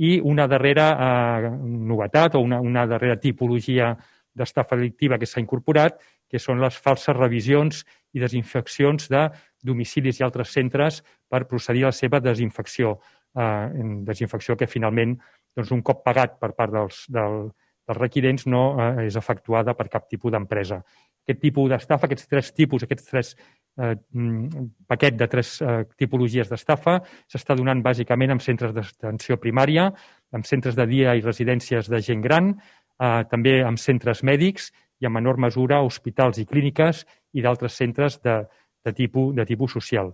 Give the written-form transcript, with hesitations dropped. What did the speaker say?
i una darrera novetat o una darrera tipologia d'estafa delictiva que s'ha incorporat, que són les falses revisions i desinfeccions de domicilis i altres centres per procedir a la seva desinfecció. Desinfecció que finalment, un cop pagat per part dels requirents, no és efectuada per cap tipus d'empresa. Aquest tipus d'estafa, aquests tres paquet de tres tipologies d'estafa s'està donant bàsicament en centres d'atenció primària, en centres de dia i residències de gent gran, també en centres mèdics i en menor mesura hospitals i clíniques i d'altres centres de tipus social.